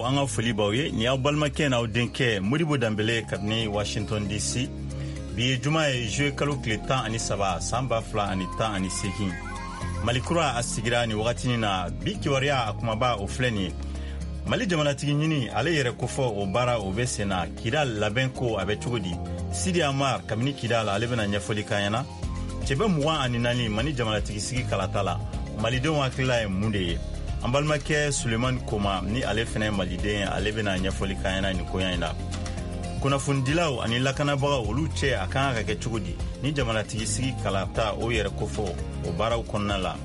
An ka foli b'aw ye. Nin y'aw balimakɛ n'aw denkɛ Modibo Danbele kabini Washington DC. Bi ye juma ye, juillet kalo tile 13, san 2018. Mali kura a sigira nin wagatinin na. Bi kibaruya a kumaba, o filɛ nin ye: Mali jamanatigi ɲini, ale yɛrɛ kofɔ, o baara o bɛ sen na. Kidal labɛn ko a bɛ cogo di? Sidi Amar kabini Kidal, ale bɛna ɲɛfɔli k'an ɲɛna. Cɛbɛ 24 Mali jamanatigi sigi kalata la, malidenw hakilila ye mun de ye? An balimakɛ Sulemani Koma, ni ale fɛnɛ maliden, ale bɛna ɲɛfɔli k'an ɲɛna nin koɲa in la. Kunnafonidilaw ani lakanabagaw, olu cɛ a kan ka kɛ cogo di ni jamanatigi sigi kalata o yɛrɛ kofɔ o baaraw kɔnɔna la?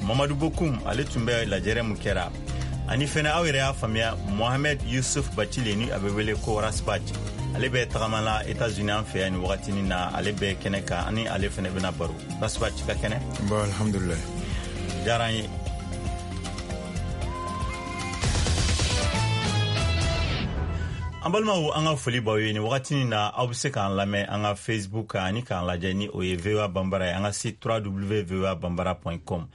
Mamadu Bokum, ale tun bɛ lajɛrɛ mun kɛra. Ani fɛnɛ, aw yɛrɛ y'a faamuya, Mohamed Yusuf Bacile, ni a bɛ wele ko Ras Bath, ale bɛ tagama la Etats-Unis an fɛ yan nin wagatinin na. Ale bɛ kɛnɛ kan, ani ale fɛnɛ bɛna baro. Ras Bath, ka kɛnɛ? Bon, alhamdulillah. Diyara an ye. An balimaw, an ka foli b'aw ye nin wagatinin na. Aw bɛ se k'an lamɛn an ka Facebook kan ani k'an lajɛ, ni o ye VOA Banbara ye, an ka site www.voabambara.com.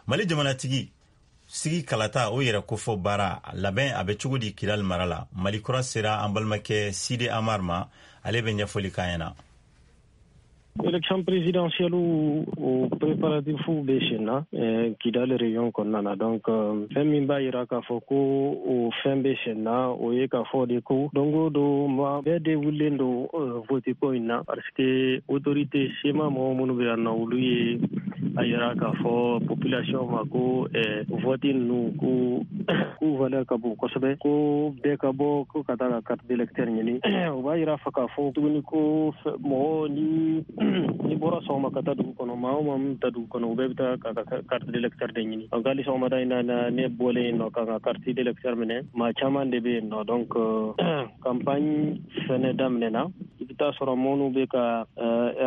Mali jamanatigi sigi kalata, o yɛrɛ kofɔ baara labɛn a bɛ cogo di Kidali mara la? Mali kura sera an balimakɛ Sidi Amar ma, ale bɛ ɲɛfɔli k'an ɲɛna. Élection présidentielle o préparatif bɛ sen na Kidali région kɔnɔna na. Donc fɛn min b'a yira k'a fɔ ko o fɛn bɛ sen na, o ye k'a fɔ de ko don o don, maa bɛɛ de wulilen don vote ko in na, parce que autorité CMA mɔgɔ minnu bɛ yan nɔ, olu ye a yira k'a fɔ population ma ko vote ninnu ko k'u valeur ka bon kosɛbɛ, ko bɛɛ ka bɔ ko ka taa ka carte d'électeur ɲini. O b'a yira fɔ k'a fɔ tuguni ko mɔgɔ ni bɔra sɔgɔma ka taa dugu kɔnɔ, maa o maa min taa dugu kɔnɔ, u bɛɛ bɛ taa ka ka carte d'électeur de ɲini. Donc hali sɔgɔmada in na, ne bɔlen yen nɔ ka n ka carte d'électeur minɛ, maa caman de bɛ yen nɔ. Donc campagne fɛnɛ daminɛna. I bɛ taa sɔrɔ minnu bɛ ka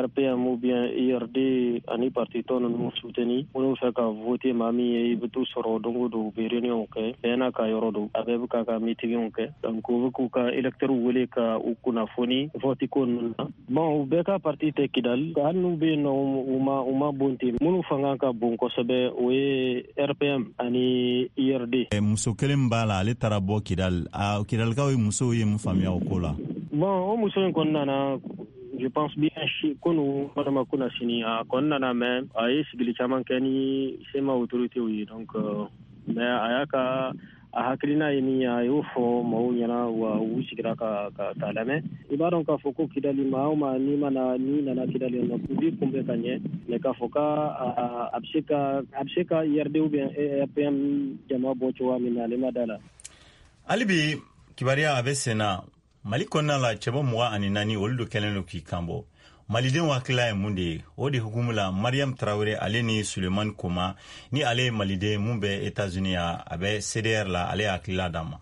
RPM ou bien URD ani parti tɔ ninnu soutenir, minnu fɛ ka voter maa min ye, i bɛ t'u sɔrɔ don o don u bɛ réunion kɛ. Bɛɛ n'a ka yɔrɔ don, a bɛɛ bɛ k'a ka meeting kɛ. Donc u bɛ k'u ka électeurs wele ka u kunnafoni vote ko ninnu na. Bon, u bɛɛ ka parti tɛ Kidali. Hali n'u bɛ yen nɔ, u ma bon ten. Minnu fanga ka bon kosɛbɛ, o ye RPM ani URD. Muso kelen b'a la, ale taara bɔ Kidali. A Kidalikaw ye, musow ye mun faamuya o ko la? Bon, o muso in kɔni nana, je pense bien kunu walima kuna sini a kɔni nana, mais a ye sigili caman kɛ ni CMA autorités ye. Donc mais a y'a ka a hakilina ye min ye, a y'o fɔ maaw ɲɛna, wa u sigira ka lamɛn. I b'a dɔn k'a fɔ ko Kidali, maa o maa n'i mana n'i nana Kidali nɔ, u b'i kunbɛn ka ɲɛ. Mais k'a fɔ ka a bɛ se ka URD ou bien RPM jama bɔ cogoya min na, ale ma da la. Hali bi kibaruya a bɛ sen na. Mali kɔnɔna la, cɛbɔ 24, olu do kɛlen do k'i kanbɔ. Malidenw hakilila ye mun de ye o de hukumu la? Mariam Tarawele, ale ni Sulemani Koma, ni ale ye maliden mun bɛ Etats-Unis yan, a bɛ CDR la, ale ye hakilila d'an ma.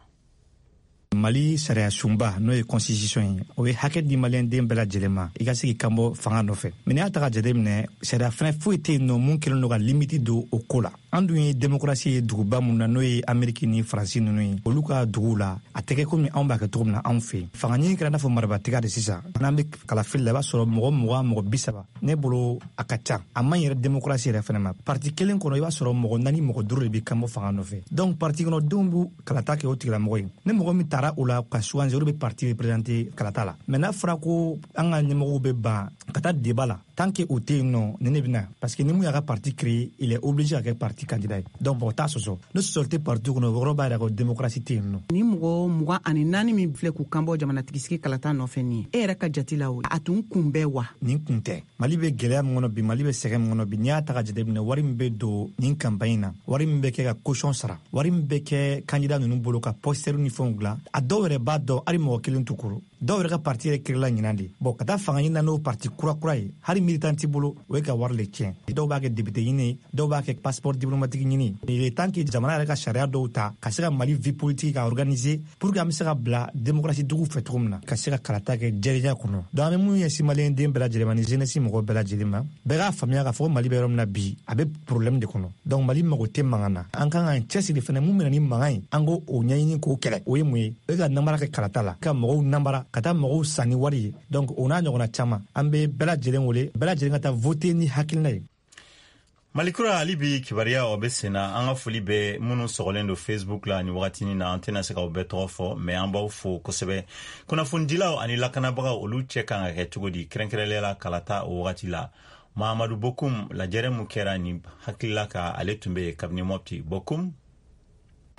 Mali sariya sunba, n'o ye constitution ye, o ye hakɛ di maliyɛnden bɛɛ lajɛlen ma i ka se k'i kanbɔ fanga nɔfɛ. Mais n'i y'a ta ka jate minɛ, sariya fɛnɛ foyi tɛ yen nɔ mun kɛlen don ka limite don o ko la. An dun ye démocratie ye duguba mun na, n'o ye Ameriki ni Faransi ninnu ye, olu ka duguw la, a tɛ kɛ komi anw b'a kɛ cogo min na anw fɛ yen. Fanga ɲini kɛra n'a fɔ marabatiga de. Sisan n'an bɛ kalafili la, i b'a sɔrɔ mɔgɔ 20, mɔgɔ 30, ne bolo a ka ca, a man yɛrɛ démocratie yɛrɛ fɛnɛ ma. Parti kelen kɔnɔ, i b'a sɔrɔ mɔgɔ naani, mɔgɔ duuru de bɛ kanbɔ fanga nɔfɛ. Donc parti kɔnɔdenw b'u kalata kɛ o tigilamɔgɔ ye. Ni mɔgɔ min taara o la ka sugandi, olu bɛ parti représenter kalata la. Mais n'a fɔra ko an ka ɲɛmɔgɔw bɛ ban ka taa débat la, tant que o tɛ yen nɔ, ni ne bɛna, parce que ni mun y'a ka parti créé, il est obligé ka kɛ parti candidat ye. Donc mɔgɔ t'a sɔsɔ. Ni sɔsɔli tɛ parti kɔnɔ, o yɔrɔ b'a yira ko démocratie tɛ yen nɔ. Ni mɔgɔ 24 min filɛ k'u kanbɔ jamanatigisigi kalata nɔfɛ nin ye, e yɛrɛ ka jati la, o a tun kun bɛ wa? Nin kun tɛ. Mali bɛ gɛlɛya min kɔnɔ bi, Mali bɛ sɛgɛn min kɔnɔ bi, n'i y'a ta ka jateminɛ, wari min bɛ don nin campagne na, wari min bɛ kɛ ka caution sara, wari min bɛ kɛ candidat ninnu bolo ka poster ni fɛnw dilan, a dɔw yɛrɛ b'a dɔn hali mɔgɔ kelen t'u kɔrɔ. Dɔw yɛrɛ ka parti yɛrɛ créela ɲinan de. Bɔn, ka taa fanga ɲini na n'o parti kura kura ye, hali militant t'i bolo, o ye ka wari le tiɲɛ. Dɔw b'a kɛ député ɲini, dɔw b'a kɛ passeport diplomatique ɲini. Il est temps que jamana yɛrɛ ka sariya dɔw ta ka se ka Mali vie politique ka organiser pour que an bɛ se ka bila démocratie dugu fɛ cogo min na, ka se ka kalata kɛ jɛlenya kɔnɔ. Donc an bɛ mun ɲɛsin maliyɛn den bɛɛ lajɛlen ma ni jeunesse mɔgɔ bɛɛ lajɛlen ma, bɛɛ k'a faamuya k'a fɔ ko Mali bɛ yɔrɔ min na bi, a bɛ problème de kɔnɔ. Donc Mali mago tɛ mankan na. An kan k'an cɛsiri fɛnɛ, mun bɛna ni mankan ye, an k'o ɲɛɲini k'o kɛlɛ. O ye mun ye? O ye ka namara kɛ kalata la, ka mɔgɔw namara, ka taa mɔgɔw san ni wari ye. Donc o n'a ɲɔgɔnna caman, an bɛ bɛɛ lajɛlen wele, bɛɛ lajɛlen ka taa voter ni hakilina ye. Malikura hali bi kibaruya o bɛ senna. An ka foli bɛ minnu sɔgɔlen don Facebook la ni wagatinin na. An tɛna se k'aw bɛɛ tɔgɔ fɔ, mais an b'aw fo kosɛbɛ. Kunnafonidilaw ani lakanabagaw, olu cɛ kan ka kɛ cogo di, kɛrɛnkɛrɛnnenya la kalata o wagati la? Mahamadu Bokum, lajɛrɛ mun kɛra nin hakilila ka, ale tun bɛ yen kabini Mɔpti. Bokum.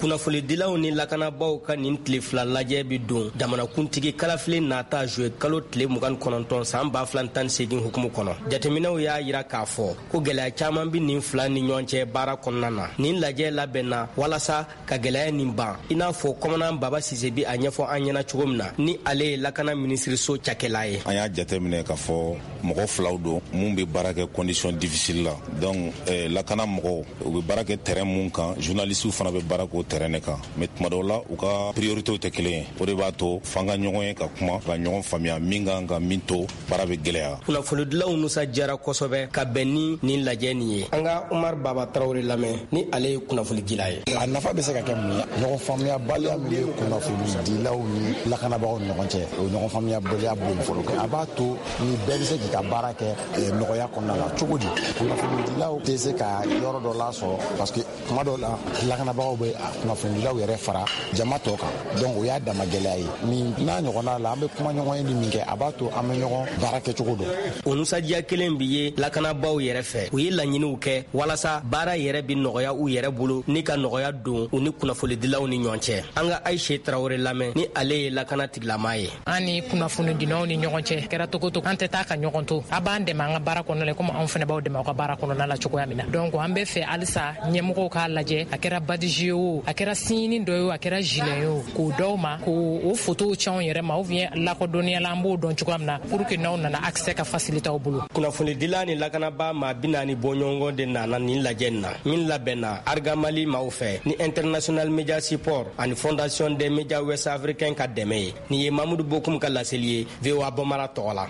Kunnafonidilaw ni lakanabaaw ka nin tile 2 lajɛ bi don jamanakuntigi kalafili nata juye kalo tile 29 san 2018 hukumu kɔnɔ. Jateminɛw y'a yira k'a fɔ ko gɛlɛya caman bi nin fila ni ɲɔgɔn cɛ baara kɔnɔna na. Nin lajɛ labɛnna walasa ka gɛlɛya nin ban, i n'a fɔ kɔmanan Baba Sise bi a ɲɛfɔ an ɲɛna cogo min na, ni ale ye lakana minisiriso cakɛla ye. An y'a jateminɛ k'a fɔ mɔgɔ filaw don mun bɛ baara kɛ condition difficile la. Donc lakana mɔgɔw, u bɛ baara kɛ terrain mun kan, journalistes fana bɛ baara k'o terrain de kan, mais tuma dɔw la u ka priorités tɛ kelen ye. O de b'a to f'an ka ɲɔgɔn ye ka kuma ka ɲɔgɔn faamuya, min kan ka min to baara bɛ gɛlɛya. Kunnafonidilaw nisɔndiyara kosɛbɛ ka bɛn ni nin lajɛ nin ye. An ka Umar Baba Tarawele lamɛn, ni ale ye kunnafonidila ye. A nafa bɛ se ka kɛ mun ye? Ɲɔgɔn faamuyabaliya min bɛ kunnafonidilaw ni lakanabagaw ni ɲɔgɔn cɛ, o ɲɔgɔn faamuyabaliya bɔ yen fɔlɔ. A b'a to ni bɛɛ bɛ se k'i ka baara kɛ nɔgɔya kɔnɔna la. Cogo di? Kunnafonidilaw tɛ se ka yɔrɔ dɔ lasɔrɔ, parce que tuma dɔw la lakanabagaw bɛ kunnafonidilaw yɛrɛ fara jama tɔ kan. Donc o y'a dama gɛlɛya ye. Nin n'a ɲɔgɔnna la, an bɛ kuma ɲɔgɔn ye ni min kɛ, a b'a to an bɛ ɲɔgɔn baara kɛcogo dɔn. O nisɔndiya kelen bi ye lakanabaaw yɛrɛ fɛ. U ye laɲiniw kɛ walasa baara yɛrɛ bi nɔgɔya u yɛrɛ bolo ni ka nɔgɔya don u ni kunnafonidilaw ni ɲɔgɔn cɛ. An ka Ayise Tarawele lamɛn, ni ale ye lakana tigilama ye. An ni kunnafonidilaw ni ɲɔgɔn cɛ kɛra togo togo, an tɛ taa ka ɲɔgɔn to. A b'an dɛmɛ an ka baara kɔnɔna la, komi anw fana b'aw dɛmɛ aw ka baara kɔnɔna la cogoya min na. Donc an bɛ fɛ halisa ɲɛmɔgɔw k'a lajɛ, a kɛra badge ye o, a kɛra signe dɔ ye o, a kɛra gilet ye o, k'o d'aw ma, k'o photow ci anw yɛrɛ ma, ou bien lakodɔnniya la an b'o dɔn cogoya min na, pour que n'aw nana accès ka faciliter aw bolo. Kunnafonidila ni lakanabaa maa 40 bɔɲɔgɔn de nana nin lajɛ in na, min labɛnna Argamali maaw fɛ ni International Media Support ani Fondation des Médias Ouest Africains ka dɛmɛ ye. Nin ye Mamudu Bokum ka laseli ye VOA Bambara tɔgɔ la.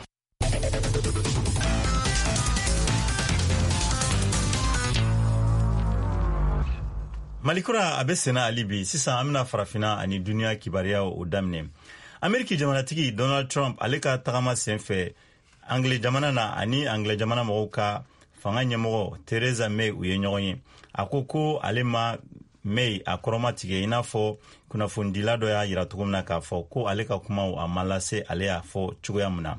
Malikura a bɛ senna hali bi. Sisan an bɛna Farafina ani duniya kibaruyaw o daminɛ. Ameriki jamanatigi Donald Trump, ale ka tagama sen fɛ Angile jamana na, ani Angile jamana mɔgɔw ka fanga ɲɛmɔgɔ Theresa May, u ye ɲɔgɔn ye. A ko ko ale ma May a kɔrɔma tigɛ, i n'a fɔ kunnafonidila dɔ y'a yira cogo min na k'a fɔ ko ale ka kumaw a ma lase ale y'a fɔ cogoya min na.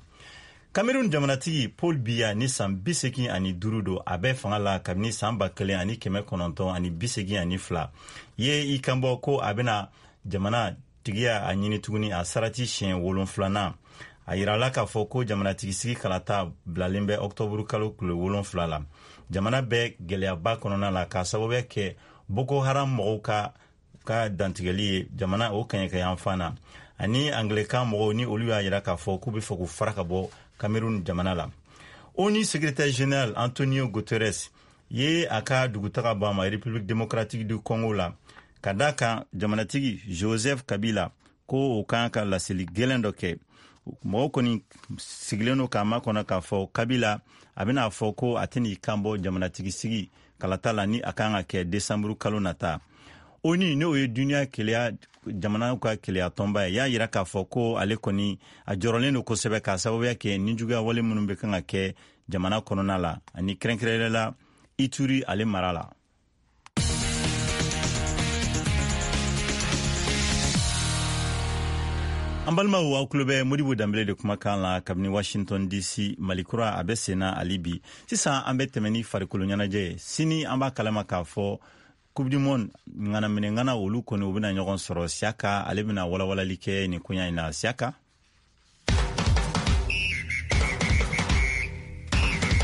Cameroun jamanatigi Paul Biya, ni san 85 don, a bɛ fanga la kabini san 1982, ye i kanbɔ ko a bɛna jamana tigiya a ɲini tuguni a sarati siɲɛ wolonfilanan. A yirala k'a fɔ ko jamanatigi sigi kalata bilalen bɛ ɔktɔburu kalo tile 7 la. Jamana bɛ gɛlɛyaba kɔnɔna la k'a sababuya kɛ Boko Haram mɔgɔw ka dantigɛli ye jamana o kɛɲɛkɛyanfan na, ani Anglekan mɔgɔw ni olu y'a yira k'a fɔ k'u bɛ fɛ k'u fara ka bɔ Cameroun jamana la. ONU secrétaire général Antonio Guterres ye a ka dugutaga bɔ a ma République démocratique du Congo la, ka da kan jamanatigi Joseph Kabila ko o kan ka laseli gɛlɛn dɔ kɛ. Mɔgɔw kɔni sigilen don k'a makɔnɔ k'a fɔ Kabila a bɛna fɔ ko a tɛn'i kan bɔ jamanatigi sigi kalata la ni a kan ka kɛ desanburu kalo nata. ONU, n'o ye duniya keleya jamanaw ka keleya tɔnba ye, y'a yira k'a fɔ ko ale kɔni a jɔrɔlen don kosɛbɛ k'a sababuya kɛ nijuguya wale minnu bɛ kan ka kɛ jamana kɔnɔna la, ani kɛrɛnkɛrɛnnenya la Ituri ale mara la. An balimaw, aw tulo bɛ Modibo Danbele de kumakan la kabini Washington DC. Malikura a bɛ senna hali bi. Sisan an bɛ tɛmɛ ni farikolo ɲɛnajɛ ye. Sini an b'a kalama k'a fɔ Coupe du monde ŋanaminɛ ŋana, olu kɔni u bɛna ɲɔgɔn sɔrɔ. Siyaka, ale bɛna walawalali kɛ nin koɲa in na. Siyaka.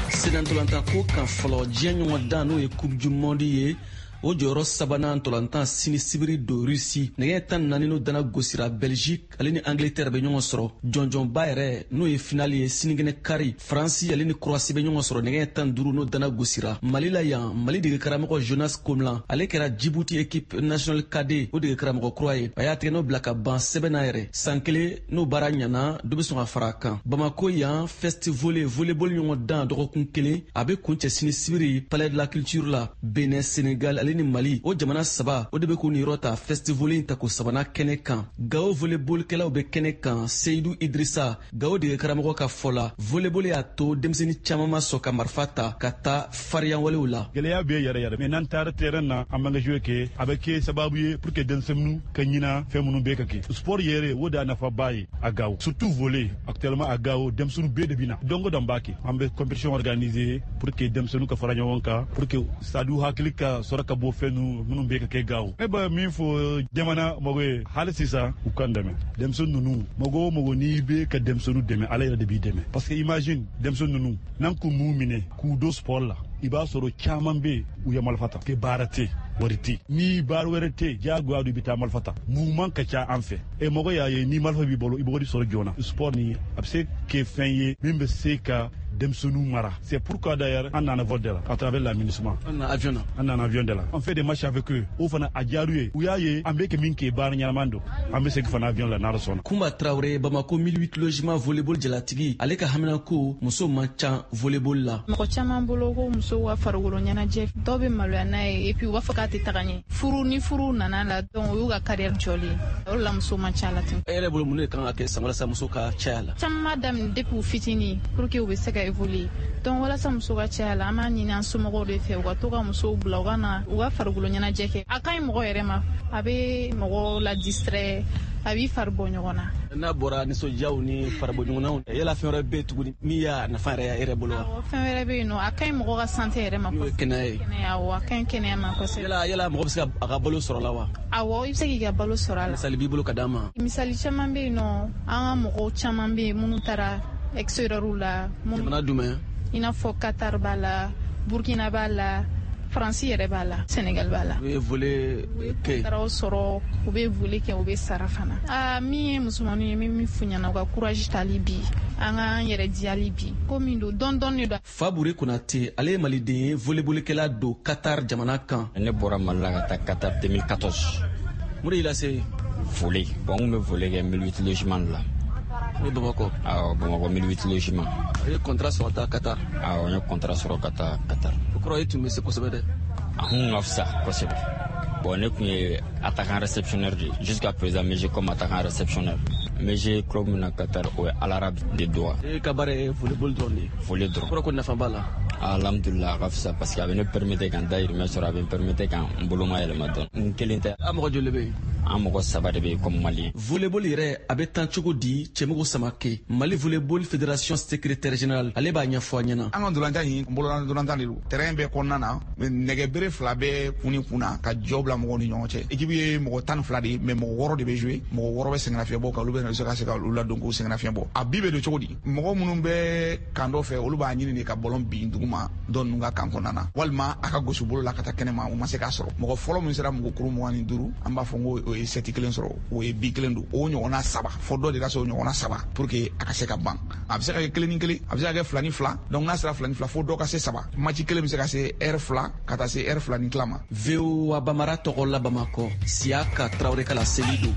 Senna ko kan fɔlɔ, diɲɛ ɲɔgɔn dan, n'o ye Coupe du monde ye, o jɔyɔrɔ sabanan ntɔlantan sini sibiri don Rusi, nɛgɛ 14 n'o dana gosira, Belgique ale ni Angleterre bɛ ɲɔgɔn sɔrɔ. Jɔnjɔnba yɛrɛ, n'o ye finali ye, sinikɛnɛ kari, Faransi ale ni Croatie bɛ ɲɔgɔn sɔrɔ nɛgɛ 15 n'o dana gosira. Mali la yan, Mali dege karamɔgɔ Jonas Komlan, ale kɛra Djibouti équipe nationale cadet o dege karamɔgɔ kura ye. A y'a tɛgɛ bila ka ban sɛbɛn na yɛrɛ. San kelen n'o baara ɲana, dɔ bɛ sɔn ka fara a kan. Bamako yan, Festivolley volleyball ɲɔgɔn dan dɔgɔkun kelen, a bɛ kuncɛ sini sibiri Palais de la Culture la. Benin, Sénégal ale ale ni Mali, o jamana saba o de bɛ k'u niyɔrɔ ta festival in tako sabanan kɛnɛ kan. Gawo volleyballikɛlaw bɛ kɛnɛ kan. Seyidu Idrissa, Gawo dege karamɔgɔ ka fɔ la, volleyball y'a to denmisɛnnin caman ma sɔn ka marifa ta ka taa fariyanwalew la. Gɛlɛya bɛ yɛrɛ yɛrɛ, mais n'an taara terrain na, an b'an ka jouer kɛ, a bɛ kɛ sababu ye pour que denmisɛnninw ka ɲina fɛn minnu bɛ ka kɛ. Sport yɛrɛ, o de y'a nafaba ye a Gawo, surtout volley. Actuellement a Gawo, denmisɛnninw bɛɛ de bɛ na. Don o don b'a kɛ, an bɛ compétition organiser pour que denmisɛnninw ka fara ɲɔgɔn kan, pour que stade hakili ka sɔrɔ ka bɔ fɛn minnu bɛ ka kɛ Gawo. Ne bɛ min fɔ jamana mɔgɔ ye, hali sisan u k'an dɛmɛ. Denmisɛnnin ninnu, mɔgɔ o mɔgɔ n'i bɛ ka denmisɛnninw dɛmɛ, Ala yɛrɛ de b'i dɛmɛ, parce que imagine denmisɛnnin ninnu, n'an k'u m'u minɛ k'u don sport la, i b'a sɔrɔ caman bɛ yen, u ye marifa ta, ke baara tɛ, wari tɛ, ni baara wɛrɛ tɛ, diyagoya don i bɛ taa marifa ta. Mouvement ka ca an fɛ, e mɔgɔ y'a ye ni marifa b'i bolo, i b'o de sɔrɔ joona. Sport ni a bɛ se kɛ fɛn ye min bɛ se ka denmisɛnninw mara. C'est pourquoi d'ailleurs an nana vol de la à travers l'aménagement. An nana avion na. An nana avion de la. On fait des matchs avec eux. O fana a diyar'u ye. U y'a ye an bɛ kɛ min kɛ, baara ɲɛnama don. An bɛ segin fana avion la n'Ala sɔnna. Kunba Traoré, Bamako 1008 logement volleyball jalatigi, ale ka haminako muso man ca volleyball la. Mɔgɔ caman bolo ko musow ka farikolo ɲɛnajɛ, dɔw bɛ maloya n'a ye, et puis u b'a fɔ k'a tɛ taga ɲɛ. Furu ni furu nana la, donc o y'u ka carrière jɔlen. O de la muso man ca la ten. E yɛrɛ bolo, mun de kan ka kɛ san walasa muso ka caya la? Caman b'a daminɛ depuis u fitinin pour que u bɛ se ka évoluer. Donc walasa muso ka caya la, an b'a ɲini an somɔgɔw de fɛ u ka to ka musow bila u ka na u ka farikolo ɲɛnajɛ kɛ. A ka ɲi mɔgɔ yɛrɛ ma, a bɛ mɔgɔ la distrait, a b'i fari bɔ ɲɔgɔn na. N'a bɔra nisɔndiyaw ni faribɔ ɲɔgɔnnaw, yala fɛn wɛrɛ bɛ yen tuguni min y'a nafa yɛrɛ ye e yɛrɛ bolo wa? Awɔ, fɛn wɛrɛ bɛ yen nɔ, a ka ɲi mɔgɔ ka santé yɛrɛ ma. N'o ye kɛnɛya ye. Kɛnɛya, awɔ, a ka ɲi kɛnɛya ma kosɛbɛ. Yala mɔgɔ bɛ se a ka balo sɔrɔ la wa? Awɔ, i bɛ se k'i ka balo sɔrɔ a la. Misali b'i bolo ka d'an ma? Misali caman bɛ yen nɔ, an ka mɔgɔw caman bɛ yen minnu taara extérieur la. Jamana jumɛn? I n'a fɔ Qatar b'a la, Burkina b'a la, Faransi yɛrɛ b'a la, Senegal b'a la. U bɛ volley kɛ. Saraw sɔrɔ, u bɛ volley kɛ, u bɛ sara fana. Aa, min ye musomaninw ye, n bɛ min f'u ɲɛna, u ka courage tali bi, an k'an yɛrɛ diyali bi. Ko min don, dɔɔni dɔɔni de don. Fabure Konate, ale ye maliden ye, volleyballikɛla don Qatar jamana kan. Ne bɔra Mali la ka taa Qatar 2014. Mun de y'i lase? Volley. Bon, n kun bɛ volley kɛ 1008 logement de la. Ne Bamakɔ. Awɔ, Bamakɔ 1008 logement. A ye contrat sɔrɔ ka taa Qatar. Awɔ, n ye contrat sɔrɔ ka taa Qatar. O kɔrɔ e tun bɛ se kosɛbɛ dɛ. A kun ka fisa kosɛbɛ. Bon, ne kun ye attaquant réceptionneur de ye. Jusqu'à présent, n bɛ jouer comme attaquant réceptionneur. N bɛ jouer club min na Qatar, o ye Al Arab de Doha. E ka baara ye volleyball dɔrɔn de ye. Volley dɔrɔn. O kɔrɔ ko nafa b'a la. Alhamdulillah, a ka fisa parce que a bɛ ne permettre ka n dahirimɛ sɔrɔ, a bɛ n permettre ka n boloma yɛlɛma dɔɔni. N kelen tɛ. A mɔgɔ joli bɛ yen? An mɔgɔ saba de bɛ yen comme malien. Volleyball yɛrɛ a bɛ tan cogo di? Cɛmɔgɔ Samake, Mali volleyball fédération secrétaire général, ale b'a ɲɛfɔ an ɲɛna. An ka ntolantan in, bolola ntolantan de don. Terrain bɛɛ kɔnɔna na, nɛgɛ bere fila bɛ kun ni kun na ka jɔ bila mɔgɔw ni ɲɔgɔn cɛ. Équipe ye mɔgɔ 12 de ye, mais mɔgɔ 6 de bɛ jouer, mɔgɔ 6 bɛ sɛgɛnnafiɲɛbɔ kan, olu bɛ na se ka olu ladon k'u sɛgɛnnafiɲɛ bɔ. A bi bɛ don cogo di? Mɔgɔ minnu bɛ kan dɔ fɛ, olu b'a ɲini de ka ballon bin duguma dɔ ninnu ka kan kɔnɔna na, walima a ka gosi bolo la ka taa kɛnɛma, u ma se k'a sɔrɔ. Mɔgɔ fɔlɔ min sera mɔgɔ kuru 25, an b'a fɔ ko o ye seti kelen sɔrɔ, o ye bi kelen don. O ɲɔgɔnna saba, fɔ dɔ de ka se o ɲɔgɔnna saba pour que a ka se ka ban. A bɛ se ka kɛ 1 ni 1, a bɛ se ka kɛ 2 ni 2. Donc n'a sera 2 ni 2, fo dɔ ka se 3. Match kelen bɛ se ka se heure 2 ka taa se heure 2 ni tila ma. VOA Bamara tɔgɔ la Bamakɔ, Siyaka Traoré ka laseli don.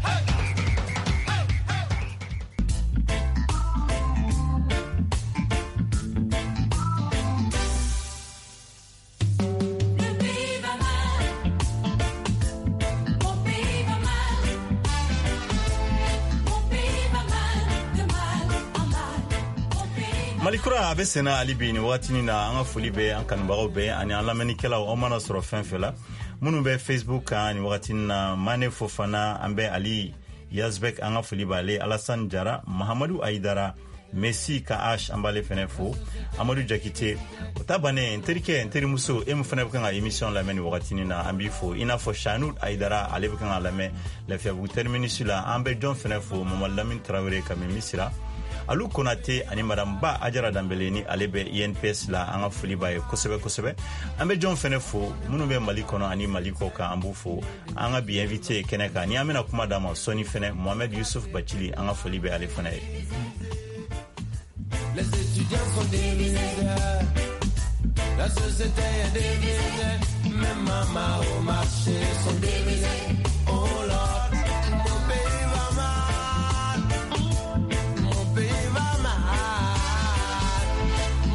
Malikura a bɛ senna hali bi nin wagatinin na. An ka foli bɛ an kanubagaw bɛɛ ani an lamɛnnikɛlaw, aw mana sɔrɔ fɛn fɛn la, minnu bɛ Facebook kan nin wagatinin na. Mane Fofana, an bɛ Ali Yazbek, an ka foli b'ale, Alassane Jara, Mahamadu Ayidara, Messi ka H, an b'ale fɛnɛ fo, Amadu Jakite. O ta bannen, n terikɛ, n terimuso, e min fɛnɛ bɛ kan ka émission lamɛn nin wagatinin na, an b'i fo. I n'a fɔ Shanud Ayidara, ale bɛ kan ka lamɛn Lafiyabugu terminus la. An bɛ jɔn fɛnɛ fo? Mamadu Lamine Traoré Kami Misira, Alu Konate ani Madame Ba Ajara Danbele ni ale bɛ INPS la, an ka foli b'a ye kosɛbɛ kosɛbɛ. An bɛ jɔn fɛnɛ fo? Minnu bɛ Mali kɔnɔ ani Mali kɔ kan, an b'u fo. An ka bi invité kɛnɛ kan ni an bɛna kuma d'a ma sɔɔni fɛnɛ, Mohamed Youssouf Bacili, an ka foli bɛ ale fɛnɛ ye. Les étudiants sont divisés, la société est divisée, même maman au marché sont divisés. Oh Lord, mon pays va mal, mon pays va mal,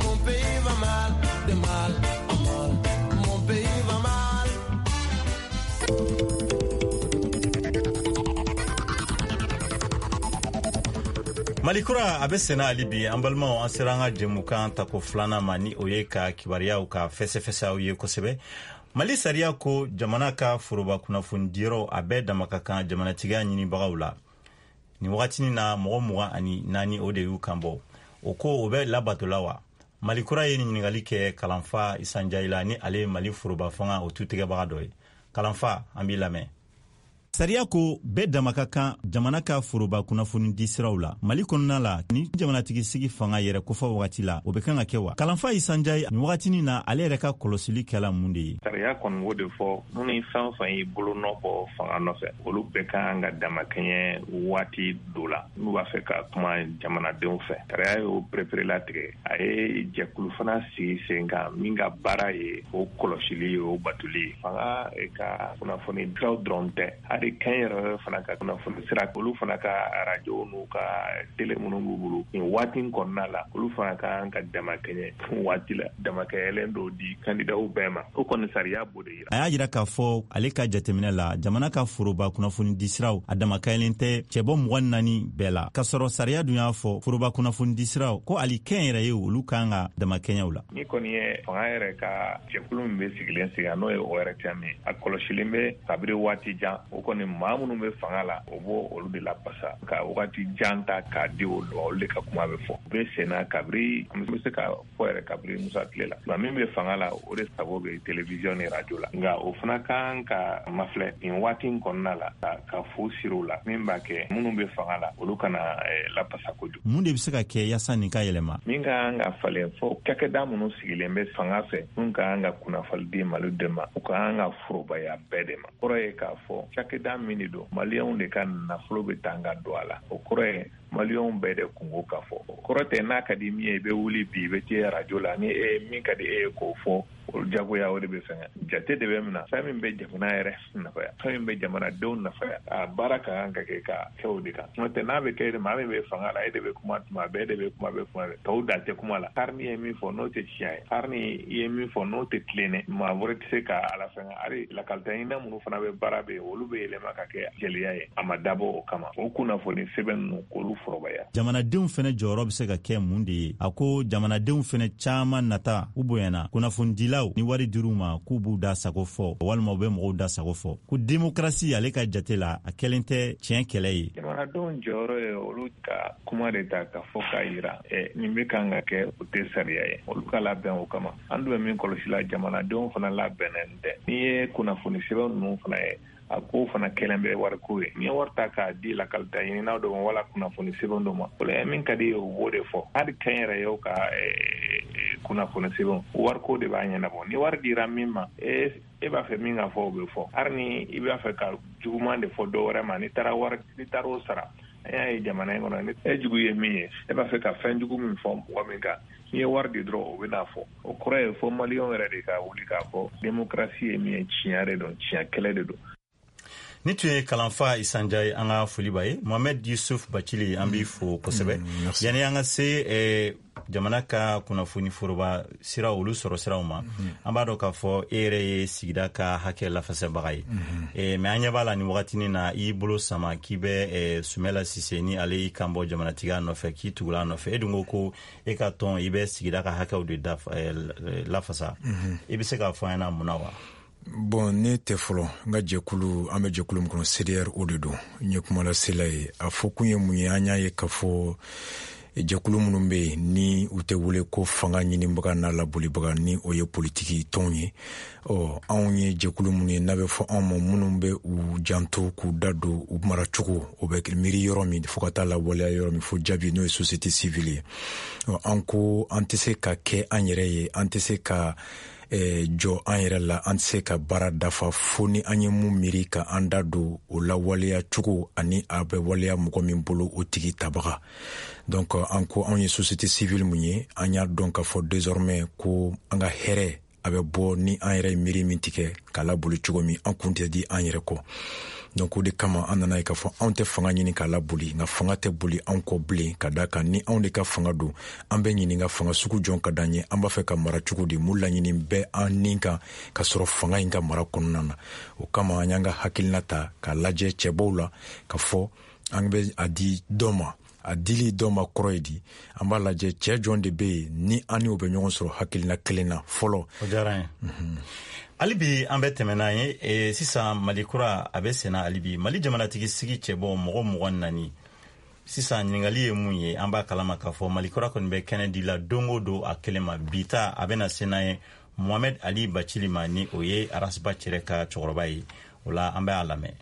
mon pays va mal, de mal en mal, mon pays va mal. Mali kura a bɛ senna hali bi. An balimaw, an sera an ka jɛmukan tako filanan ma, ni o ye ka kibaruyaw ka fɛsɛfɛsɛ aw ye kosɛbɛ. Mali sariya ko jamana ka foroba kunnafonidiyɔrɔw, a bɛɛ dama ka kan jamanatigiya ɲinibagaw la. Nin wagatinin na, mɔgɔ 24, o de y'u kan bɔ. O ko, o bɛ labatola wa? Mali kura ye nin ɲininkali kɛ Kalanfa Isa Njayi la, ni ale ye Mali foroba fanga o tutigɛbaga dɔ ye. Kalanfa, an b'i lamɛn. Sariya ko bɛɛ dama ka kan jamana ka foroba kunnafoni di siraw la Mali kɔnɔna la. Ni jamanatigi sigi fanga yɛrɛ kofɔ wagati la, o bɛ kan ka kɛ wa? Kalanfa Isa Njayi, nin wagatinin na, ale yɛrɛ ka kɔlɔsili kɛla mun de ye? Sariya kɔni b'o de fɔ. Minnu ni fɛn o fɛn y'i bolo nɔ bɔ fanga nɔfɛ, olu bɛɛ ka kan ka damakɛɲɛ waati dɔ la n'u b'a fɛ ka kuma jamanadenw fɛ. Sariya y'o pereperelatigɛ. A ye jɛkulu fana sigi sen kan min ka baara ye o kɔlɔsili ye, o batoli ye. Fanga ka kunnafoni siraw dɔrɔn tɛ, hali kɛnyɛrɛye fana ka kunnafoni sira, olu fana ka arajo n'u ka tele minnu b'u bolo nin waati in kɔnɔna la, olu fana ka kan ka damakɛɲɛ waati la, damakɛɲɛlen dɔw di kandidaw bɛɛ ma. O kɔni, sariya b'o de yira. A y'a jira k'a fɔ ale ka jateminɛ la, jamana ka foroba kunnafoni di siraw, a damakɛɲɛlen tɛ cɛbɔ 24 bɛɛ la, k'a sɔrɔ sariya dun y'a fɔ foroba kunnafoni di siraw ko hali kɛnyɛrɛye, olu kan ka damakɛɲɛw la. Ni kɔni ye fanga yɛrɛ ka jɛkulu min bɛ sigilen sigi, n'o ye ORTM ye, a kɔlɔsilen bɛ kabiri waati jan. O kɔni, maa minnu bɛ fanga la, o b'o olu de lapasa ka wagati jan ta k'a di olu ma, olu de ka kuma bɛ fɔ. U bɛ senna kabiri, an bɛ se ka fɔ yɛrɛ, kabiri Musa tile la. Nka min bɛ fanga la, o de sago bɛ télévision ni radio la. Nka o fana kan ka mafilɛ nin waati in kɔnɔna la, ka fu siri u la, min b'a kɛ minnu bɛ fanga la, olu kana lapasa kojugu. Mun de bɛ se ka kɛ yaasa nin ka yɛlɛma? Min ka kan ka falen fɔ, cakɛda minnu sigilen bɛ fanga fɛ, minnu ka kan ka kunnafoni di Malidenw ma, u ka kan ka forobaya bɛɛ de ma. Kɔrɔ ye k'a fɔ cakɛda min de don, Maliyɛnw de ka nafolo bɛ taa ka don a la. O kɔrɔ ye Maliyɛnw bɛɛ de kunko ka fɔ. O kɔrɔ tɛ n'a ka di min ye, i bɛ wuli bi, i bɛ taa arajo la, ni e min ka di e ye k'o fɔ, o jagoya o de bɛ fɛngɛ. Jate de bɛ mina. Fɛn min bɛ jamana yɛrɛ nafaya, fɛn min bɛ jamanadenw nafaya, a baara ka kan ka kɛ ka kɛ o de kan. N'o tɛ, n'a bɛ kɛ maa min bɛ fanga la, e de bɛ kuma tuma bɛɛ, e de bɛ kuma bɛɛ, kuma bɛɛ, tɔw da tɛ kuma la. Hali ni ye min fɔ n'o tɛ tiɲɛ ye, hali ni i ye min fɔ n'o tɛ tilennen, maa wɛrɛ tɛ se ka ala fɛngɛ. Hali lakalita ɲinina minnu fana bɛ baara bɛ yen, olu bɛ yɛlɛma ka kɛ jɛlenya ye. A ma dabɔ o kama, o kunnafoni sɛbɛn ninnu, k'olu forobaya. Jamanadenw fɛnɛ jɔyɔrɔ bɛ se ka kɛ mun de ye? A ko jamanadenw fɛnɛ caman nata u bonyana kunnafonidilaw ni wari dir'u ma k'u b'u da sago fɔ, walima u bɛ mɔgɔw da sago fɔ, ko demokarasi, ale ka jate la, a kɛlen tɛ tiɲɛ kɛlɛ ye. Jamanadenw jɔyɔrɔ ye olu ka kuma de ta ka fɔ k'a yira nin bɛ kan ka kɛ, o tɛ sariya ye, olu ka labɛn o kama. An dun bɛ min kɔlɔsi la, jamanadenw fana labɛnnen tɛ. N'i ye kunnafoni sɛbɛn ninnu fana ye, a ko fana kɛlen bɛ wariko ye. N'i ye wari ta k'a di lakalita ɲininaw dɔ ma wala kunnafoni sɛbɛn dɔ ma, o la min ka di ye, o b'o de fɔ. Hali kɛnyɛrɛyew ka kunnafoni sɛbɛn, wariko de b'a ɲɛnabɔ. Ni wari dira min ma, e b'a fɛ min ka fɔ, o bɛ fɔ. Hali ni i b'a fɛ ka juguman de fɔ dɔ wɛrɛ ma, n'i taara wari, n'i taara o sara. An y'a ye jamana in kɔnɔ, e jugu ye min ye, e b'a fɛ ka fɛn jugu min fɔ mɔgɔ min kan, n'i ye wari di dɔrɔn, o bɛ n'a fɔ. O kɔrɔ ye fo Maliyɛnw yɛrɛ de ka wuli k'a fɔ démocratie ye min ye, tiɲɛ de don, tiɲɛ kɛlɛ de don. Ni tun ye Kalanfa Isa Njayi, an ka foli b'a ye. Mohamed Yusuf Bacili, an b'i fo kosɛbɛ. Yanni an ka se jamana ka kunnafoni foroba sira, olu sɔrɔ siraw ma, an b'a dɔn k'a fɔ e yɛrɛ ye sigida ka hakɛ lafasɛbaga ye, mais an ɲɛ b'a la nin wagatinin na, i y'i bolo sama k'i bɛ Sumɛla Sise, ni ale y'i kan bɔ jamanatigiya nɔfɛ, k'i tugula a nɔfɛ. E dun ko ko e ka tɔn, i bɛ sigida ka hakɛw de lafasa. I bɛ se k'a fɔ an ɲɛna mun na wa? Bon, ne tɛ fɔlɔ, n ka jɛkulu, an bɛ jɛkulu min kɔnɔ, CDR, o de don. N ye kumalasela ye. A fɔ kun ye mun ye? An y'a ye k'a fɔ jɛkulu minnu bɛ yen ni u tɛ wele ko fanga ɲinibaga n'a labolibaga, ni o ye politiki tɔnw ye, ɔ anw ye jɛkulu minnu ye n'a bɛ fɔ anw ma, minnu bɛ u janto k'u da don u maracogo, o bɛ miiri yɔrɔ min fo ka taa lawaleya yɔrɔ min, fo jaabi, n'o ye société civile ye. Ɔ an ko an tɛ se ka kɛ an yɛrɛ ye, an tɛ se ka jɔ an yɛrɛ la, an tɛ se ka baara dafa fo ni an ye mun miiri ka an da don o lawaleya cogo ani a bɛ waleya mɔgɔ min bolo, o tigi tabaga. Donc an ko anw ye société civile mun ye, an y'a dɔn k'a fɔ désormais ko an ka hɛrɛ a bɛ bɔ ni an yɛrɛ ye miiri min tigɛ k'a laboli cogo min, an kun tɛ di an yɛrɛ kɔ. Donc o de kama an nana ye k'a fɔ anw tɛ fanga ɲini k'a laboli, nka fanga tɛ boli anw kɔ bilen, ka da kan ni anw de ka fanga don, an bɛ ɲininka fanga sugu jɔn ka d'an ye, an b'a fɛ ka mara cogo di, mun laɲini bɛ an nin kan ka sɔrɔ fanga in ka mara kɔnɔna na. O kama an y'an ka hakilina ta k'a lajɛ cɛbɔw la, ka fɔ an bɛ a di dɔ ma. A dili dɔ ma kɔrɔ ye di? An b'a lajɛ cɛɛ jɔn de bɛ yen ni an ni o bɛ ɲɔgɔn sɔrɔ hakilina kelen na fɔlɔ. O diyara n ye. Hali bi an bɛ tɛmɛ n'an ye sisan. Mali kura a bɛ senna hali bi. Mali jamanatigi sigi cɛbɔ mɔgɔ 24 sisan, ɲininkali ye mun ye? An b'a kalama k'a fɔ Mali kura kɔni bɛ kɛnɛ di la don o don a kelen ma. Bi ta a bɛna se n'an ye Mohamed Ali Bacili ma, ni o ye Ras Bath yɛrɛ ka cɛkɔrɔba ye. O la an bɛ a lamɛn.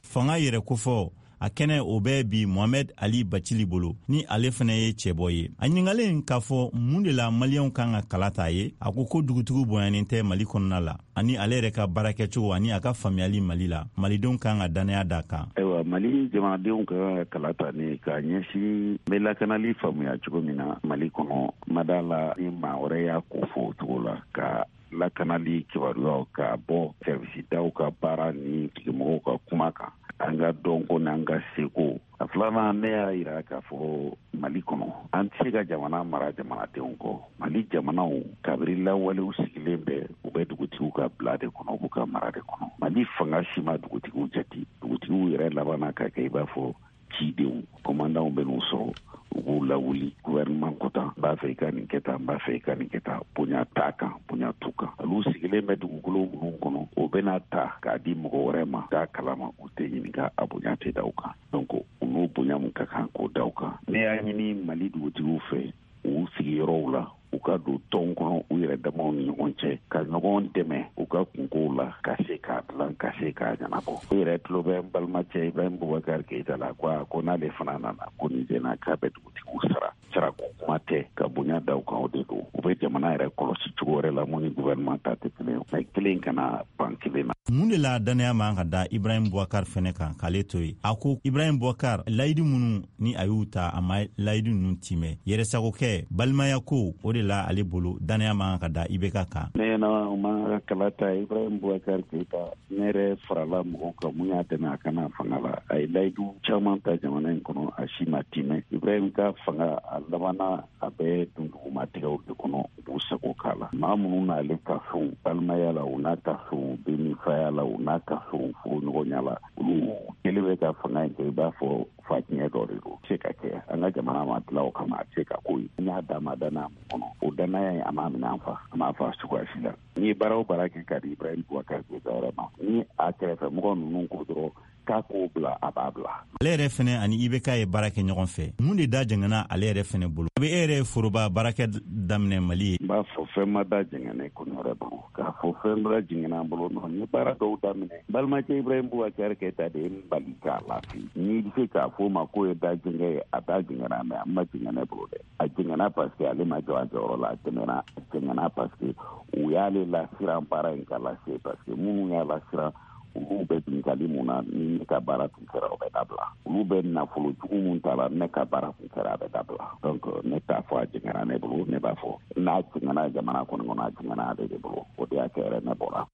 Fanga yɛrɛ kofɔ a kɛnɛ o bɛ bi Mohamed Ali Bacili bolo, ni ale fɛnɛ ye cɛbɔ ye. A ɲininkalen k'a fɔ mun de la Maliyɛnw kan ka kala ta ye, a ko ko dugutigiw bonyanen tɛ Mali kɔnɔna la, ani ale yɛrɛ ka baarakɛcogo ani a ka faamuyali Mali la, Malidenw kan ka dannaya da kan. Ayiwa, Mali jamanadenw ka kan ka kala ta ni k'a ɲɛsin n bɛ lakanali faamuya cogo min na Mali kɔnɔ. Ma da la ni maa wɛrɛ y'a ko fɔ o cogo la, ka lakanali kibaruyaw ka bɔ sɛrivisidaw ka baara ni tigimɔgɔw ka kuma kan, an ka dɔnko n'an ka seko. A filanan, ne y'a yira k'a fɔ Mali kɔnɔ, an tɛ se ka jamana mara jamanadenw kɔ. Mali jamanaw kabiri lawalew sigilen bɛ, u bɛ dugutigiw ka bila de kɔnɔ, u b'u ka mara de kɔnɔ. Mali fanga si ma dugutigiw jate. Dugutigiw yɛrɛ labanna ka kɛ i b'a fɔ cidenw, kɔmandanw bɛ n'u sɔrɔ, u b'u lawuli gouvernement ko tan, n b'a fɛ i ka nin kɛ tan, n b'a fɛ i ka nin kɛ tan. Bonya t'a kan, bonya t'u kan. Olu sigilen bɛ dugukolo minnu kɔnɔ, o bɛna ta k'a di mɔgɔ wɛrɛ ma k'a kalama, u tɛ ɲininka, a bonya tɛ da u kan. Donc u n'o bonya mun ka kan k'o da u kan. Ne y'a ɲini Mali dugutigiw fɛ, u sigiyɔrɔw la, u ka don tɔn kɔnɔ u yɛrɛ damaw ni ɲɔgɔn cɛ, ka ɲɔgɔn dɛmɛ u ka kunkow la, ka se k'a dilan, ka se k'a ɲɛnabɔ. U yɛrɛ tulo bɛ n balimacɛ Ibrahim Boubacar Keita la, ko n'ale fana nana ko nin senna k'a bɛ dugutigiw sara. Sarako kuma tɛ, ka bonya da u kan, o de don. U bɛ jamana yɛrɛ kɔlɔsi cogo wɛrɛ la mun ni gouvernement ta tɛ kelen ye, mais kelen kana ban kelen na. Mun de la dannaya man ka da Ibrahim Boubacar fɛnɛ kan k'ale to yen? A ko Ibrahim Boubacar, layidu minnu ni a y'u ta, a ma layidu ninnu timɛ, yɛrɛsagokɛ, balimaya ko, o de la ale bolo dannaya man ka da IBK kan. Ne ɲɛna, o man ka kala ta Ibrahim Boubacar Keita. Ne yɛrɛ farala mɔgɔw kan mun y'a dɛmɛ a kana fanga la. A ye layidu caman ta jamana in kɔnɔ, a si ma timɛ. Ibrahim ka fanga a labanna a bɛ dundugumatigɛw de kɔnɔ, u b'u sago k'a la. Maa minnu n'ale ka fɛnw balimaya la, u n'a ka fɛnw denifaya la, u n'a ka fɛnw furuɲɔgɔnya la, olu kelen bɛ ka fanga in kɛ i b'a fɔ fa tiɲɛ dɔ de don. Se ka kɛ an ka jamana ma dilan o kama, a tɛ se ka ko ye. N y'a d'a ma danaya mun kɔnɔ, o danaya in a m'a minɛ an fa, a m'a fa cogoya si la. N'i ye baara o baara kɛ ka di Ibrahim Boubacar Keita yɛrɛ ma, ni a kɛrɛfɛ mɔgɔ ninnu ko dɔrɔn k'a k'o bila, a b'a bila. Ale yɛrɛ fɛnɛ ani IBK ye baara kɛ ɲɔgɔn fɛ. Mun de da jɛngɛnna ale yɛrɛ fɛnɛ bolo? A bɛ e yɛrɛ ye foroba baarakɛ daminɛ Mali ye. N b'a fɔ fɛn ma da jɛngɛnɛ ko yɛrɛ bolo, k'a fɔ fɛn da jɛngɛnna an bolo nɔ. N ye baara dɔw daminɛ, balimakɛ Ibrahim Boubacar Keita de ye n bali k'a lafi. N'i bɛ se k'a fɔ o ma k'o ye da jɛngɛ ye, a da jɛngɛnna, mais a ma jɛngɛ ne bolo dɛ. A jɛngɛnna parce que ale ma jɔ a jɔyɔrɔ la. A jɛngɛnna, a jɛngɛnna parce que u y'ale lasiran baara in ka lase, parce que minnu y'a lasiran, olu bɛ binkali mun na, ni ne ka baara tun kɛra, o bɛ dabila. Olu bɛ nafolo jugu mun ta la, ne ka baara tun kɛra, a bɛ dabila. Donc ne t'a fɔ a jɛngɛnna ne bolo, ne b'a fɔ n'a jɛngɛnna jamana kɔni kɔnɔ, a jɛngɛnna ale de bolo. O de y'a kɛ yɛrɛ ne bɔra.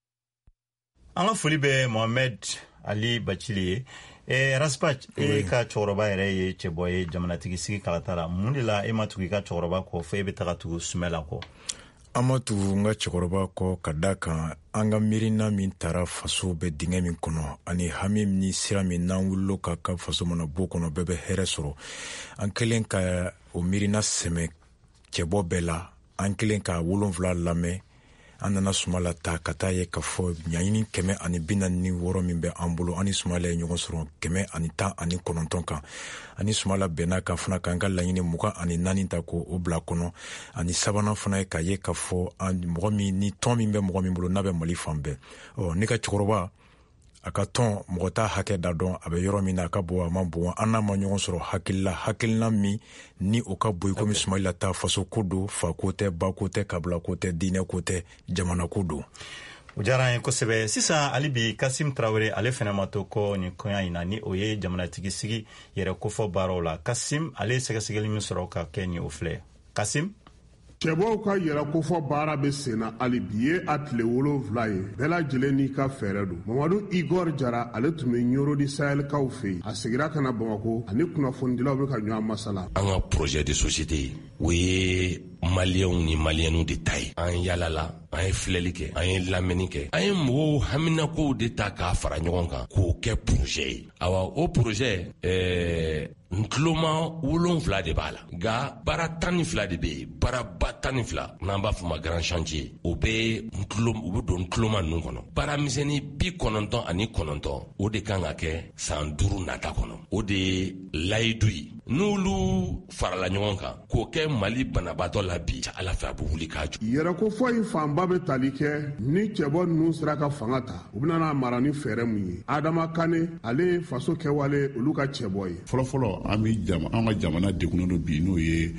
An ka foli bɛ Mohamed Ali Bacili ye. Ras Bath, e ka cɛkɔrɔba yɛrɛ ye cɛbɔ ye jamanatigi sigi kalata la. Mun de la e ma tugu i ka cɛkɔrɔba kɔ, fo e bɛ taga tugu Sumɛla kɔ? An ma tugu n ka cɛkɔrɔba kɔ ka da kan an ka miirina min tara faso bɛ dingɛ min kɔnɔ, ani hami ni sira min n'an wulilo ka ka faso mana bɔ kɔnɔ, bɛɛ bɛ hɛrɛ sɔrɔ. An kelen ka o miirina sɛmɛ cɛbɔ bɛɛ la, an kelen ka 7 lamɛn. An nana Sumala ta ka taa ye k'a fɔ ɲaɲini 146 min bɛ an bolo, an ni Sumala ye ɲɔgɔn sɔrɔ 119 kan. Ani Sumala bɛnna kan fana k'an ka laɲini 24 ta k'o bila kɔnɔ. Ani sabanan fana ye k'a ye k'a fɔ mɔgɔ min ni tɔn min bɛ mɔgɔ min bolo n'a bɛ Mali fan bɛɛ. Ɔ ne ka cɛkɔrɔba a ka tɔn, mɔgɔ t'a hakɛ da dɔn, a bɛ yɔrɔ min na, a ka bon, a ma bon, an n'a ma ɲɔgɔn sɔrɔ hakilila, hakilina min ni o ka bon i komi Sumayila ta. Faso ko don, fa ko tɛ, ba ko tɛ, kabila ko tɛ, diinɛ ko tɛ, jamana ko don. O diyara an ye kosɛbɛ. Sisan hali bi, Kasim Tarawele, ale fɛnɛ ma to kɔ nin kɔɲa in na, ni o ye jamanatigi sigi yɛrɛ kofɔ baaraw la. Kasim, ale ye sɛgɛsɛgɛli min sɔrɔ ka kɛ nin, o filɛ. Kasim. Cɛbɔw ka yɛrɛ kofɔ baara bɛ senna hali bi ye a tile 7 ye. Bɛɛ lajɛlen n'i ka fɛɛrɛ don. Mamadu Igor Jara, ale tun bɛ Ɲoro di Sahelikaw fɛ yen, a segira ka na Bamakɔ, ani kunnafonidilaw bɛ ka ɲɔgɔn masala. An ka projet de société, o ye Maliyɛnw ni Maliyɛnw de ta ye. An yalala, an ye filɛli kɛ, an ye lamɛnni kɛ, an ye mɔgɔw haminakow de ta k'a fara ɲɔgɔn kan k'o kɛ projet ye. Awa, o projet, n Tuloma 7 de b'a la, nka baara 12 de bɛ yen, baaraba 12 n'an b'a fɔ ma grand chantier, o bɛ u bɛ don tuloma ninnu kɔnɔ. Baara misɛnnin 99, o de kan ka kɛ san 5 nata kɔnɔ. O de ye layidu ye. N'olu farala ɲɔgɔn kan k'o kɛ Mali banabaatɔ la bi, Ala fɛ a bɛ wuli k'a jɔ. Yɛrɛkofɔ in fanba bɛ tali kɛ ni cɛbɔ ninnu sera ka fanga ta, u bɛna n'a mara ni fɛɛrɛ mun ye. Adama Kane, ale ye faso kɛwale olu ka cɛbɔ ye. Fɔlɔfɔlɔ, an bɛ an ka jamana degunnen don bi, n'o ye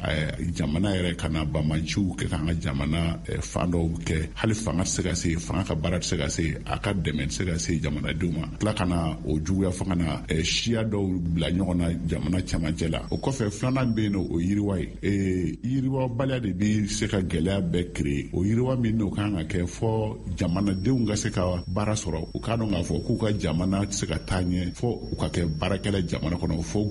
jamana yɛrɛ ka na banbaanciw kɛ k'an ka jamana fan dɔw kɛ, hali fanga tɛ se ka se, fanga ka baara tɛ se ka se, a ka dɛmɛ tɛ se ka se jamanadenw ma, tila ka na o juguya fo ka na siya dɔw bila ɲɔgɔn na jamana cɛmancɛ la. O kɔfɛ, filanan bɛ yen nɔ, o yiriwa ye. Yiriwabaliya de bɛ se ka gɛlɛya bɛɛ créer. O yiriwa min n'o kan ka kɛ fɔ jamanadenw ka se ka baara sɔrɔ, u k'a dɔn k'a fɔ k'u ka jamana tɛ se ka taa ɲɛ fɔ u ka kɛ baarakɛla jamana kɔnɔ, fo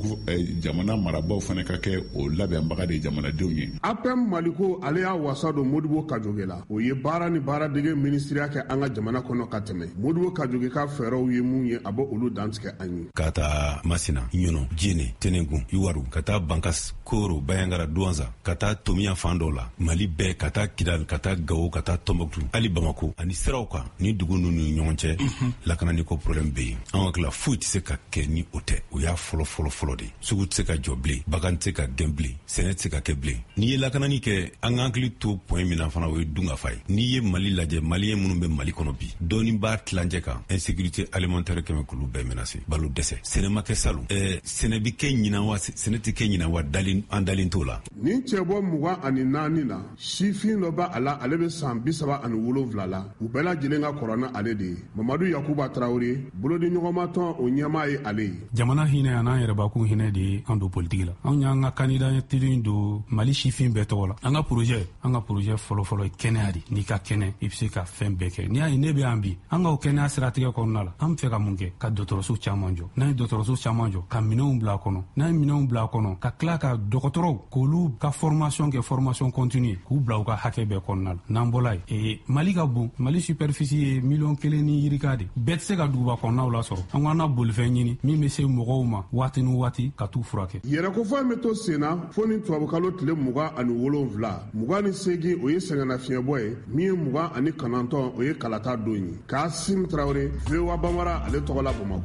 jamana marabaaw fana ka kɛ o labɛnbaga de ye jamanadenw ye. APM Maliko, ale y'a wasa don Modibo Kajoge la. O ye baara ni baaradege minisiriya kɛ an ka jamana kɔnɔ ka tɛmɛ. Modibo Kajoge ka fɛɛrɛw ye mun ye, a bɛ olu dantigɛ an ye. Ka taa Masina, Ɲɔnɔ, Jene, Tenengun, Iwaru, ka taa Bankas, Koro, Bayangara, Duwanza, ka taa Tomiya fan dɔw la, Mali bɛɛ, ka taa Kidal, ka taa Gawo, ka taa Tɔnbɔkutu, hali Bamako, ani siraw kan ni dugu ninnu ni ɲɔgɔn cɛ, lakanani ko problème bɛ yen. An hakili la foyi tɛ se ka kɛ ni o tɛ. O y'a fɔlɔ fɔlɔ fɔlɔ de. Sugu tɛ se ka jɔ bilen, bagan tɛ se ka gɛn bilen, sɛnɛ tɛ se ka kɛ bilen. N'i ye lakanani kɛ, an ka hakili to point min na fana, o ye dunkafa ye. N'i ye Mali lajɛ, Maliyɛn minnu bɛ Mali kɔnɔ bi, dɔɔni b'a tilancɛ kan, insécurité alimentaire kɛmɛ k'olu bɛɛ menacer, balo dɛsɛ. Sɛnɛ ma kɛ salon, sɛnɛ bɛ kɛ ɲinan wa, sɛnɛ tɛ kɛ ɲinan wa, an dalen t'o la. Nin cɛbɔ 24 na, sifin dɔ b'a la, ale bɛ san 37 la. U bɛɛ lajɛlen ka kɔrɔ ni ale de ye. Mamadu Yakuba Tarawele, bolodiɲɔgɔnmatɔn o ɲɛmaa ye ale ye. Jamana hinɛ an'an yɛrɛbakun hinɛ de ye an don politiki la. Anw y'an ka candidature don Mali sifin bɛɛ tɔgɔ la. An ka projet fɔlɔfɔlɔ ye kɛnɛya de. N'i ka kɛnɛ, i bɛ se ka fɛn bɛɛ kɛ. N'i y'a ye ne bɛ yan bi, an ka o kɛnɛya siratigɛ kɔnɔna la, an bɛ fɛ ka mun kɛ? Ka dɔgɔtɔrɔso caman jɔ. N'an ye dɔgɔtɔrɔso caman jɔ, ka minɛnw bila a kɔnɔ. N'an ye minɛnw bila a kɔnɔ, ka tila ka dɔgɔtɔrɔw k'olu ka formation kɛ, formation continue, k'u bila u ka hakɛ bɛɛ kɔnɔna la. N'an bɔla yen, Mali ka bon, Mali superficie ye 1,1 million ni yirika de. Bɛɛ tɛ se ka duguba kɔnɔnaw lasɔrɔ. An ko an na bolifɛn ɲini min bɛ se mɔgɔw ma waati ni waati ka t'u furakɛ. Yɛrɛkofɔ in bɛ to sen na fo ni tubabukalo tile 27, 28 o ye sɛgɛnnafiɲɛbɔ ye, min ye 29 o ye kalata don ye. Kasim Tarawele, VOA Bambara, ale tɔgɔ la Bamakɔ.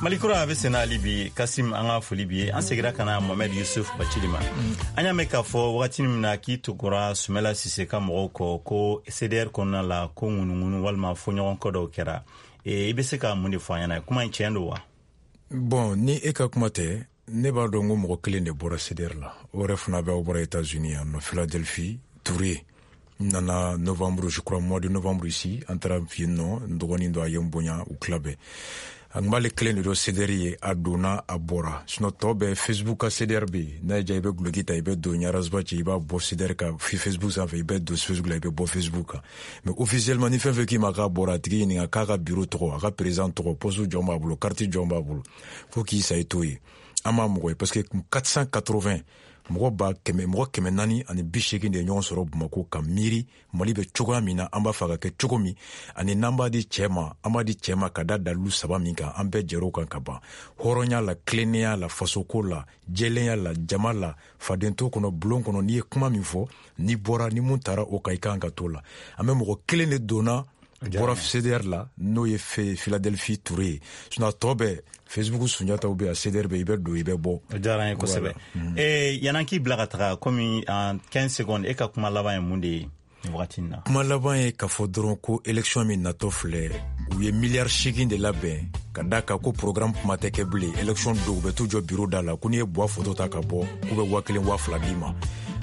Malikura a bɛ senna hali bi. Kasim, an ka foli bi ye. An segira ka na Mohamed Yusuf Bacili ma. An y'a mɛn k'a fɔ wagati min na k'i tugura Sumala Sise ka mɔgɔw kɔ, ko CDR kɔnɔna la, ko ŋunuŋunu walima fɔɲɔgɔnkɔ dɔw kɛra. I bɛ se ka mun de fɔ an ɲɛna? Kuma in tiɲɛ don wa? Bon, ni e ka kuma tɛ, ne b'a dɔn ko mɔgɔ kelen de bɔra CDR la. O yɛrɛ fana bɛ, aw bɔra États-Unis yan nɔ, Philadelphie, Touré nana novembre, je crois mois de novembre ici. An taara yen nɔ, n dɔgɔnin dɔ a ye n bonya, u tila bɛɛ. An b'ale kelen de dɔn CDR ye, a donna, a bɔra. Sinon tɔ bɛɛ, Facebook ka CDR bɛ yen. N'a y'i diya, i bɛ guloki ta, i bɛ don Ras Bath, i b'a bɔ CDR kan Facebook sanfɛ, i bɛ don Facebook la, i bɛ bɔ Facebook kan. Mais officiellement, ni fɛn fɛn k'i ma k'a bɔra, a tigi ɲininka k'a ka bureau tɔgɔ, a ka président tɔgɔ, poste jɔn b'a bolo, carte jɔn b'a bolo, fo k'i sa i t'o ye. An m'a mɔgɔ ye, parce que 480 mɔgɔ ba kɛmɛ, mɔgɔ 480 de ye ɲɔgɔn sɔrɔ Bamako ka miiri Mali bɛ cogoya min na, an b'a fɛ ka kɛ cogo min, ani n'an b'a di cɛ ma, an b'a di cɛ ma ka da dalilu saba min kan, an bɛɛ jɛr'o kan ka ban: hɔrɔnya la, tilennenya la, fasoko la, jɛlenya la, jama la, fadento kɔnɔ, bulon kɔnɔ. N'i ye kuma min fɔ, n'i bɔra ni mun taara o kan, i kan ka t'o la. An bɛ mɔgɔ kelen de donna bɔra CDR la, n'o ye Philadelphie Touré ye. Sinon a tɔ bɛɛ, Facebook Sunjataw bɛ yan, CDR bɛ, i bɛ don, i bɛ bɔ. O diyara an ye kosɛbɛ. Yan'an k'i bila ka taga, komi en 15 secondes, e ka kuma laban ye mun de ye nin wagati in na? Kuma laban ye k'a fɔ dɔrɔn ko élection min natɔ filɛ, u ye 8 miliyari de labɛn ka da kan ko programme kuma tɛ kɛ bilen. Élection don, u bɛ t'u jɔ bureau da la ko n'i ye Buwa photo ta ka bɔ, k'u bɛ 1000, 2000 d'i ma.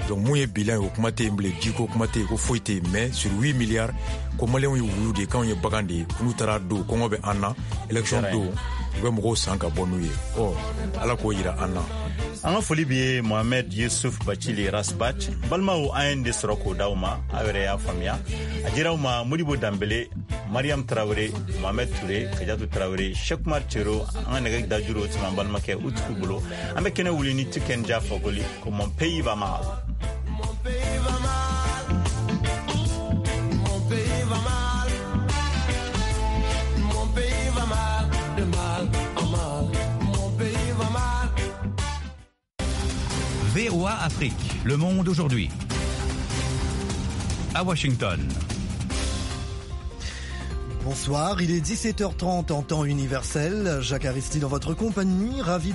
Donc mun ye bilan ye, o kuma tɛ yen bilen, jiko kuma tɛ yen, ko foyi tɛ yen. Mais sur 8 milliards, ko Maliyɛnw ye wulu de ye, k'anw ye bagan de ye, ko n'u taara don, kɔngɔ bɛ an na. Élection don, u bɛ mɔgɔw san ka bɔ n'u ye. Ɔ, Ala k'o yira an na. An ka foli bi ye Mohamed Yusuf Bacili Ras Bath. Balimaw, an ye de sɔrɔ k'o d'aw ma, aw yɛrɛ y'a faamuya. A dira aw ma Modibo Danbele, Mariam Tarawele, Mohamed Touré, Kajatu Tarawele, Cheikh Umar Cero. An ka nɛgɛ dajuru o tun b'an balimakɛ Utuku bolo. An bɛ kɛnɛ wuli ni Tiken Jah Fakoly ko "Mon pays va mal". Mon pays va mal. Mon pays va mal. Mon pays va mal. De mal en mal. Mon pays va mal. VOA Afrique, le monde aujourd'hui. À Washington. Bonsoir, il est 17h30 en temps universel. Jacques Aristide en votre compagnie, ravi